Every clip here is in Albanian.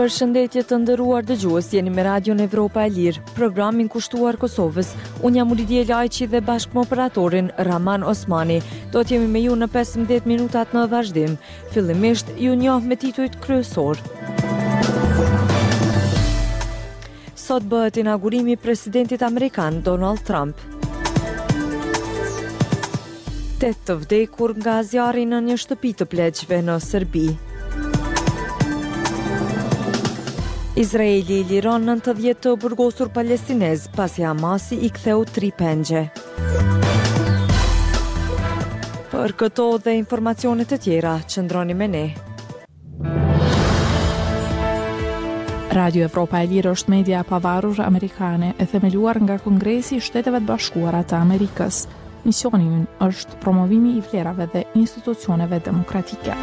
Përshëndetje të nderuar dëgjues, jeni me Radion Evropa e Lirë, programin kushtuar Kosovës. Unë jam Uridije Lajçi dhe bashkë me operatorin Raman Osmani. Do të jemi me ju në 15 minutat në vazhdim. Fillimisht, ju njoh me titujt kryesorë. Sot bëhet inaugurimi i presidentit amerikan Donald Trump. 8 të vdekur nga zjarri në një shtëpi të pleqve në Serbi. Izraeli liron 90 të burgosur palestinezë pasi Hamasi i ktheu 3 pengje. Për këto dhe informacione të tjera, qëndroni me ne. Radio Evropa e Lirë është media e pavarur amerikane e themeluar nga Kongresi i Shteteve të Bashkuara të Amerikës. Misioni ynë është promovimi i vlerave dhe institucioneve demokratike.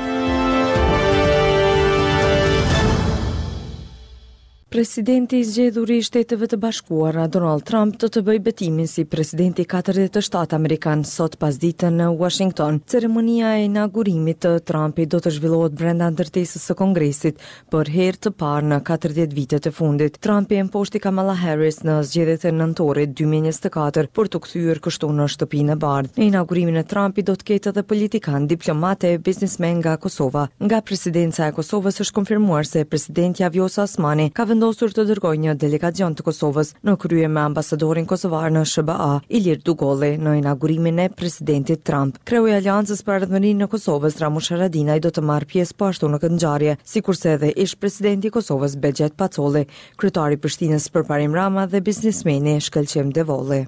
Presidenti i zgjedhur i Shteteve të Bashkuara, Donald Trump, do të bëjë betimin si presidenti 47 amerikan sot pasdite në Washington. Ceremonia e inaugurimit të Trumpit do të zhvillohet brenda ndërtesës së Kongresit për herë të parë në 40 vitet e fundit. Trumpi e mposhti Kamala Harris në zgjedhjet e nëntorit 2024 për t'u kthyer kështu në Shtëpinë e Bardhë. Në inaugurimin e Trumpit do të ketë edhe politikanë, diplomatë e biznesmenë nga Kosova. Nga Presidenca e Kosovës është konfirmuar se presidentja Vjosa Osmani ka vendosur të dërgojë një delegacion të Kosovës në krye me ambasadorin kosovar në SHBA, Ilir Dugolli, në inaugurimin e presidentit Trump. Kreu i Aleancës për Ardhmërinë e Kosovës, Ramush Haradinaj do të marrë pjesë po ashtu në këtë ngjarje, sikurse edhe ish-presidenti i Kosovës, Behgjet Pacolli, kryetari i Prishtinës Përparim Rama dhe biznesmeni Shkëlqim Devolli.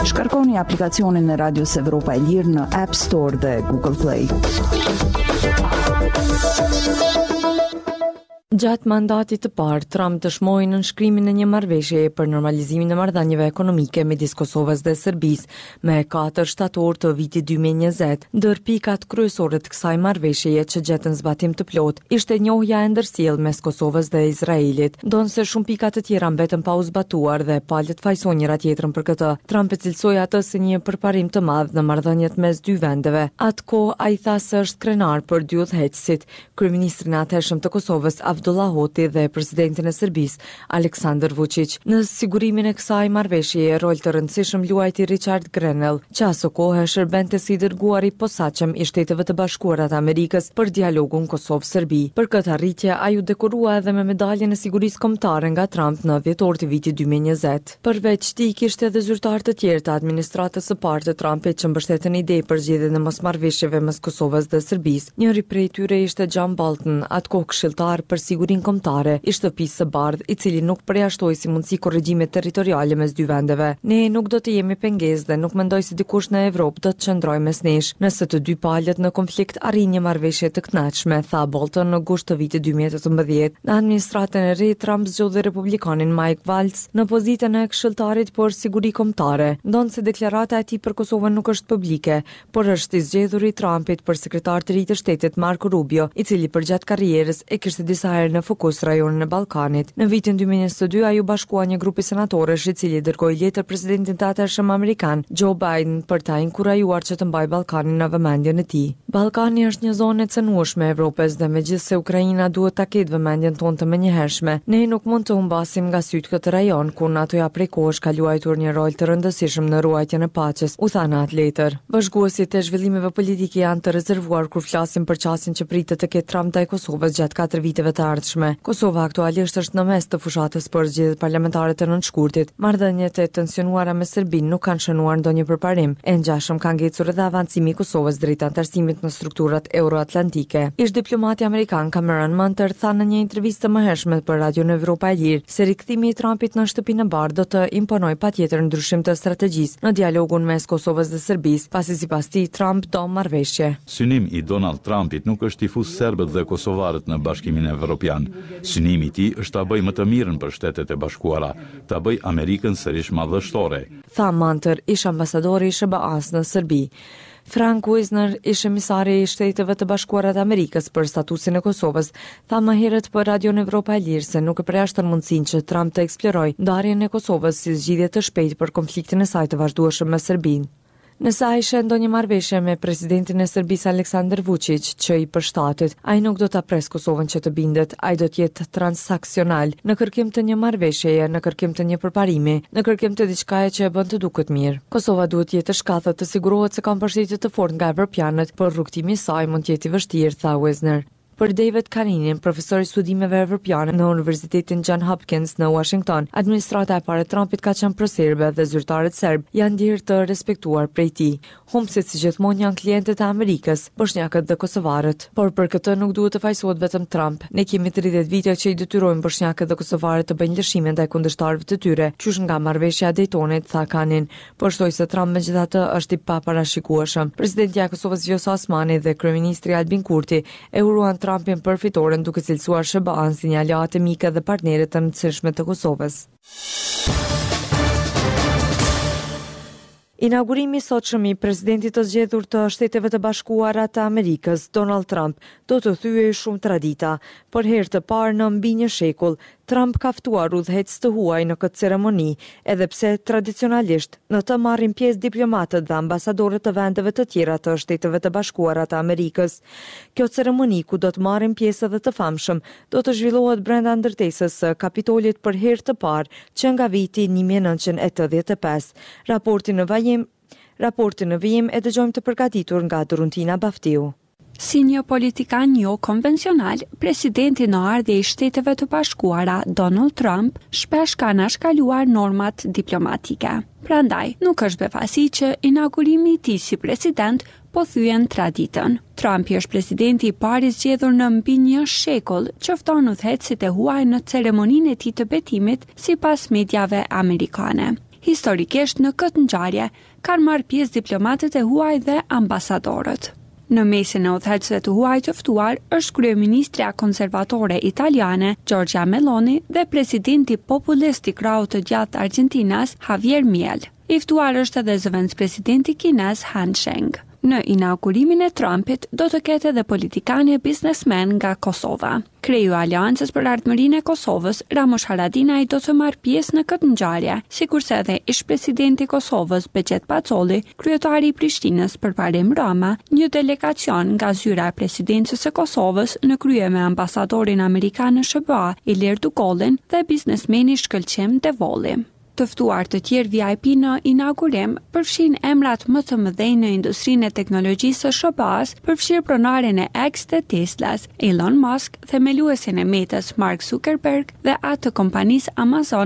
Shkarkoni aplikacionin e Radios Evropa e Lirë në App Store dhe Google Play. Gjatë mandatit të parë, Trump dëshmoi nënshkrimin e një marrëveshjeje për normalizimin e marrëdhënieve ekonomike midis Kosovës dhe Serbisë me 4 shtator të vitit 2020. Ndër pikat kryesore të kësaj marrëveshjeje që gjetën zbatim të plotë ishte njohja e ndërsjellë mes Kosovës dhe Izraelit. Ndonëse shumë pika të tjera mbetën pa u zbatuar dhe palët fajësojnë njëra-tjetrën për këtë, Trump e cilësoi atë si një përparim të madh në marrëdhëniet mes dy vendeve. Atë kohë ai tha se është krenar për dy udhëheqësit, kryeministrin e atëhershëm të Kosovës, Avdullah Hoti dhe presidentin e Serbisë, Aleksandër Vuçiq. Në sigurimin e kësaj marrëveshjeje rol të rëndësishëm luajti Richard Grenell, që asokohe shërbente si i dërguar i posaçëm i Shteteve të Bashkuara të Amerikës për dialogun Kosovë-Serbi. Për këtë arritje, ai u dekorua edhe me Medaljen e Sigurisë Kombëtare nga Trump në dhjetor të vitit 2020. Përveç tij, kishte edhe zyrtarë të tjerë të administratës së parë të Trumpit që mbështetën ide për zgjidhjen e mosmarrëveshjeve mes Kosovës dhe Serbisë. Njëri prej tyre ishte John Bolton, atë kohë këshilltar për sigurinë kombëtare i Shtëpisë së Bardhë, i cili nuk përjashtoi si mundësi korrigjimet territoriale mes dy vendeve. Ne nuk do të jemi pengesë dhe nuk mendoj se dikush në Evropë do të qëndrojë mes nesh, nëse të dy palët në konflikt arrijnë një marrëveshje të kënaqshme, tha Bolton në gusht të vitit 2018. Në administratën e re, Trump zgjodhi republikanin Mike Waltz në pozitën e këshilltarit për siguri kombëtare, ndonëse deklarata e tij për Kosovën nuk është publike, por është i zgjedhuri i Trumpit për sekretar të ri të shtetit Marco Rubio, i cili përgjatë karrierës e kishte disa herë në fokus rajonin e Ballkanit. Në vitin 2022 ai u bashkua një grupi senatorësh i cili dërgoi letër presidentit të atëhershëm amerikan, Joe Biden, për ta inkurajuar që të mbajë Ballkanin në vëmendjen e tij. Ballkani është një zonë e cenueshme e Evropës dhe megjithëse Ukraina duhet ta ketë vëmendjen tonë të menjëhershme, ne nuk mund të humbasim nga sytë këtë rajon, ku NATO-ja prej kohësh ka luajtur një rol të rëndësishëm në ruajtjen e paqes, u tha në atë letër. Vëzhguesit e zhvillimeve politike janë të rezervuar kur flasin për qasjen që pritet të ketë Trump ndaj Kosovës gjatë katër viteve të ardhshme. Kosova aktualisht është në mes të fushatës për zgjedhjet parlamentare të nëntë shkurtit. Marrëdhëniet e tensionuara me Serbinë nuk kanë shënuar ndonjë përparim, e ngjashëm ka ngecur edhe avancimi i Kosovës drejt anëtarësimit në strukturat euroatlantike. Ish-diplomati amerikan Cameron Munter tha në një intervistë të mëhershme për Radion Evropa e Lirë se rikthimi i Trumpit në Shtëpinë e Bardhë do të imponojë patjetër ndryshim të strategjisë në dialogun mes Kosovës dhe Serbisë, pasi sipas tij Trump do marrëveshje. Synim i Donald Trumpit nuk është t'i fusë serbët dhe kosovarët në Bashkimin Evropian. Synimi i tij është ta bëjë më të mirën për Shtetet e Bashkuara, ta bëjë Amerikën sërish madhështore. Tha Munter, ish-ambasadori i SHBA-së në Serbi. Frank Wisner, ish-emisari i Shteteve të Bashkuara të Amerikës për statusin e Kosovës, tha më herët për Radion Evropa e Lirë se nuk e përjashton mundësinë që Trump të eksplorojë ndarjen e Kosovës si zgjidhje të shpejtë për konfliktin e saj të vazhdueshëm me Serbinë. Nëse ai sheh ndonjë marrëveshje me presidentin e Serbisë Aleksandar Vuçiq që i përshtatet, ai nuk do ta presë Kosovën që të bindet, ai do të jetë transaksional, në kërkim të një marrëveshjeje, në kërkim të një përparimi, në kërkim të diçkaje që e bën të duket mirë. Kosova duhet të jetë e shkathët të sigurohet se ka mbështetje të fortë nga evropianët, por rrugëtimi i saj mund të jetë i vështirë, tha Wisner. Për David Kaninin, profesor i studimeve evropiane në Universitetin John Hopkins në Uashington, administrata e parë e Trumpit ka qenë proserbe dhe zyrtarët serbë janë ndjerë të respektuar prej tij. Humbësit si gjithmonë janë klientët e Amerikës, boshnjakët dhe kosovarët. Por për këtë nuk duhet të fajësohet vetëm Trump. Ne kemi 30 vite që i detyrojmë boshnjakët dhe kosovarët të bëjnë lëshime ndaj kundërshtarëve të tyre, qysh nga marrëveshja e Daytonit, tha Kanin. Por shtoi se Trump megjithatë është i paparashikueshëm. Presidentja e Kosovës Vjosa Osmani dhe kryeministri Albin Kurti e uruan Trumpin për fitoren duke cilësuar SHBA-në si një aleate mike dhe partnere të rëndësishme të Kosovës. Inaugurimi i sotshëm i presidentit të zgjedhur të Shteteve të Bashkuara të Amerikës, Donald Trump, do të thyejë shumë tradita. Për herë të parë në mbi një shekull, Trump ka ftuar udhëheqës të huaj në këtë ceremoni, edhe pse tradicionalisht në të marrin pjesë diplomatët dhe ambasadorët të vendeve të tjera të Shteteve të Bashkuara të Amerikës. Kjo ceremoni, ku do të marrin pjesë edhe të famshëm, do të zhvillohet brenda ndërtesës së Kapitolit për herë të parë që nga viti 1985. Raportin në vajim, raportin në vijim e dëgjojmë të përgatitur nga Doruntina Baftiu. Si një politikan jo konvencional, presidenti në ardhje i Shteteve të Bashkuara, Donald Trump, shpesh ka anashkaluar normat diplomatike. Prandaj, nuk është befasi që inaugurimi i tij si president po thyen traditën. Trumpi është presidenti i parë i zgjedhur në mbi një shekull që fton udhëheqësit e huaj në ceremoninë e tij të betimit, sipas mediave amerikane. Historikisht në këtë ngjarje kanë marrë pjesë diplomatët e huaj dhe ambasadorët. Në mesin e udhëheqësve të huaj të ftuar është kryeministrja konservatore italiane, Giorgia Meloni dhe presidenti populist i krahut të djathtë argjentinas, Javier Miel. I ftuar është edhe zëvendëspresidenti kinez Han Sheng. Në inaugurimin e Trumpit do të ketë edhe politikanë e biznesmenë nga Kosova. Kreu i Aleancës për Ardhmërinë e Kosovës, Ramush Haradinaj do të marrë pjesë në këtë ngjarje, sikurse edhe ish-presidenti i Kosovës, Behgjet Pacolli, kryetari i Prishtinës, Përparim Rama, një delegacion nga zyra e Presidencës së Kosovës në krye me ambasadorin amerikan në SHBA, Ilir Dugollin dhe biznesmeni Shkëlqim Devolli. Të ftuar të tjerë VIP në inaugurim përfshijnë emrat më të mëdhenj në industrinë e teknologjisë së SHBA-së, përfshirë pronarin e X dhe Tesla-s, Elon Musk, themeluesin e Meta-s Mark Zuckerberg dhe atë të kompanisë Amazon.